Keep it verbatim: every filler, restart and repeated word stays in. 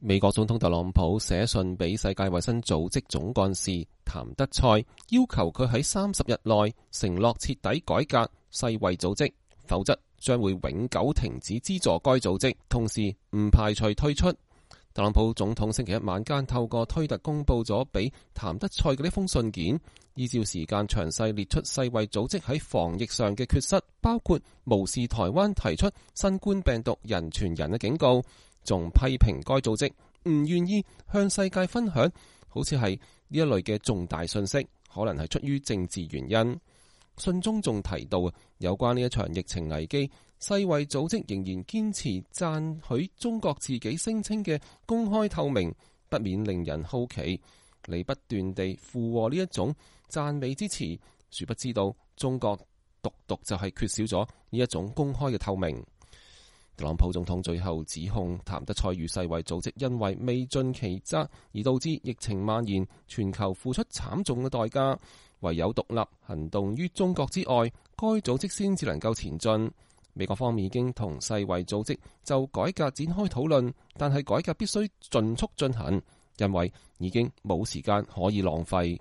美國總統特朗普寫信俾世界衛生組織總幹事譚德塞，要求佢喺三十日內承諾徹底改革世衛組織，否則將會永久停止資助該組織，同時唔排除退出。特朗普總統星期一晚間透過推特公佈咗俾譚德塞嘅呢封信件，依照時間詳細列出世衛組織喺防疫上嘅缺失，包括無視台灣提出新冠病毒人傳人嘅警告，仲批評該組織唔願意向世界分享好似係呢一類嘅重大信息，可能係出於政治原因。信中仲提到有關呢一場疫情危機，世衛組織仍然堅持讚許中國自己聲稱嘅公開透明，不免令人好奇。你不斷地附和呢一種讚美之詞，殊不知道中國獨獨就係缺少咗呢一種公開嘅透明。特朗普總統最後指控譚德塞與世衛組織因為未盡其責而導致疫情蔓延，全球付出慘重嘅代價，唯有獨立行動於中國之外，該組織先至能夠前進。美國方面已經同世衛組織就改革展開討論，但係改革必須盡速進行，因為已經冇時間可以浪費。